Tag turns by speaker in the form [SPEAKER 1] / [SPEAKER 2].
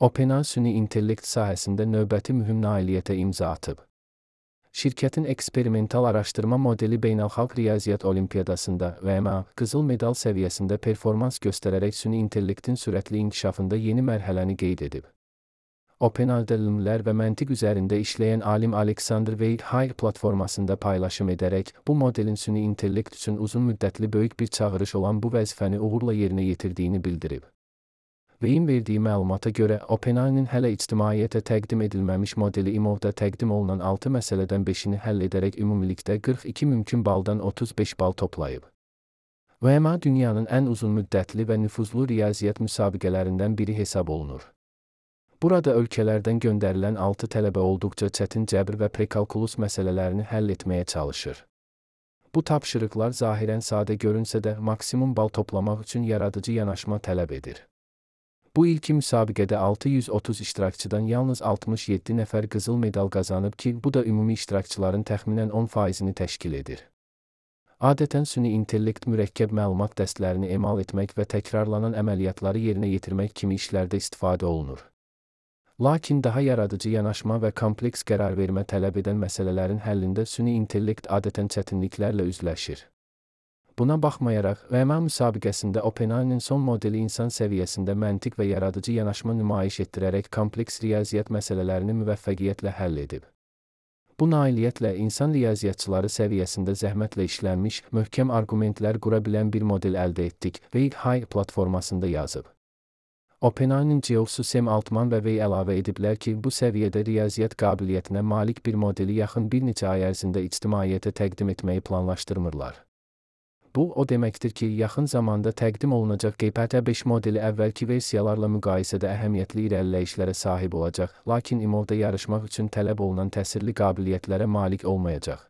[SPEAKER 1] OpenAI süni intellekt sahəsində növbəti mühüm nailiyyətə imza atıb. Şirkətin eksperimental araşdırma modeli Beynəlxalq Riyaziyyat Olimpiyadasında (VMA) qızıl medal səviyyəsində performans göstərərək süni intellektin sürətli inkişafında yeni mərhələni qeyd edib. OpenAI-da LLM-lər və məntiq üzərində işləyən alim Alexander Veit platformasında paylaşım edərək, bu modelin süni intellekt üçün uzun müddətli böyük bir çağırış olan bu vəzifəni uğurla yerinə yetirdiyini bildirib. Veyin verdiyi məlumata görə, OpenAI-nin hələ ictimaiyyətə təqdim edilməmiş modeli IMO-da təqdim olunan 6 məsələdən 5-ini həll edərək ümumilikdə 42 mümkün baldan 35 bal toplayıb. VMA dünyanın ən uzun müddətli və nüfuzlu riyaziyyat müsabiqələrindən biri hesab olunur. Burada ölkələrdən göndərilən 6 tələbə olduqca çətin cəbr və prekalkulus məsələlərini həll etməyə çalışır. Bu tapşırıqlar zahirən sadə görünsə də, maksimum bal toplamaq üçün yaradıcı yanaşma tələb edir. Bu ilki müsabiqədə 630 iştirakçıdan yalnız 67 nəfər qızıl medal qazanıb ki, bu da ümumi iştirakçıların təxminən 10%-ni təşkil edir. Adətən süni intellekt mürəkkəb məlumat dəstlərini emal etmək və təkrarlanan əməliyyatları yerinə yetirmək kimi işlərdə istifadə olunur. Lakin daha yaradıcı yanaşma və kompleks qərar vermə tələb edən məsələlərin həllində süni intellekt adətən çətinliklərlə üzləşir. Buna baxmayaraq, VMA müsabiqəsində OpenAI-nin son modeli insan səviyyəsində məntiq və yaradıcı yanaşma nümayiş etdirərək kompleks riyaziyyat məsələlərini müvəffəqiyyətlə həll edib. Bu nailiyyətlə insan riyaziyyatçıları səviyyəsində zəhmətlə işlənmiş, möhkəm arqumentlər qura bilən bir model əldə etdik, Veit platformasında yazıb. OpenAI-nin CEO-su Sam Altman və Wei əlavə ediblər ki, bu səviyyədə riyaziyyat qabiliyyətinə malik bir modeli yaxın bir neçə ay ərzində ictimaiyyətə təqdim etməyi planlaşdırmırlar. Bu, o deməkdir ki, yaxın zamanda təqdim olunacaq GPT-5 modeli əvvəlki versiyalarla müqayisədə əhəmiyyətli irəliləyişlərə sahib olacaq, lakin IMO-da yarışmaq üçün tələb olunan təsirli qabiliyyətlərə malik olmayacaq.